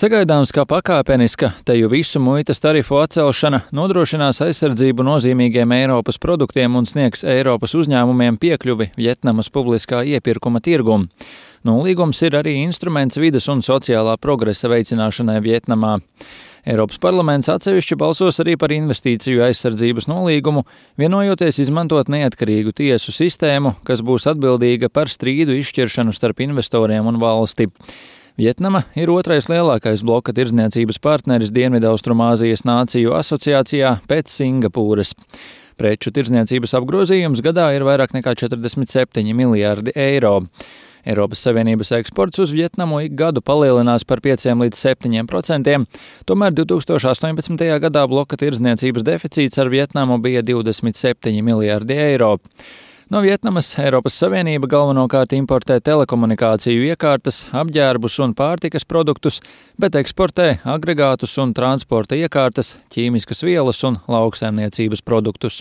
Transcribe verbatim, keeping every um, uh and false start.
Sagaidāms, ka pakāpeniska teju visu muitas tarifu atcelšana nodrošinās aizsardzību nozīmīgiem Eiropas produktiem un sniegs Eiropas uzņēmumiem piekļuvi Vjetnamas publiskā iepirkuma tirgum. Nolīgums ir arī instruments vides un sociālā progresa veicināšanai Vjetnamā. Eiropas parlaments atsevišķi balsos arī par investīciju aizsardzības nolīgumu, vienojoties izmantot neatkarīgu tiesu sistēmu, kas būs atbildīga par strīdu izšķiršanu starp investoriem un valsti. Vjetnama ir otrais lielākais bloka tirdzniecības partneris Dienvidaustrumāzijas nāciju asociācijā pēc Singapūras. Preču tirdzniecības apgrozījums gadā ir vairāk nekā četrdesmit septiņi miljārdi eiro. Eiropas Savienības eksports uz Vjetnamu ik gadu palielinās par pieciem līdz septiņiem procentiem, tomēr divs tūkstoši astoņpadsmitajā gadā bloka tirdzniecības deficīts ar Vjetnamu bija divdesmit septiņi miljārdi eiro. No Vjetnamas Eiropas Savienība galvenokārt importē telekomunikāciju iekārtas, apģērbus un pārtikas produktus, bet eksportē agregātus un transporta iekārtas, ķīmiskas vielas un lauksaimniecības produktus.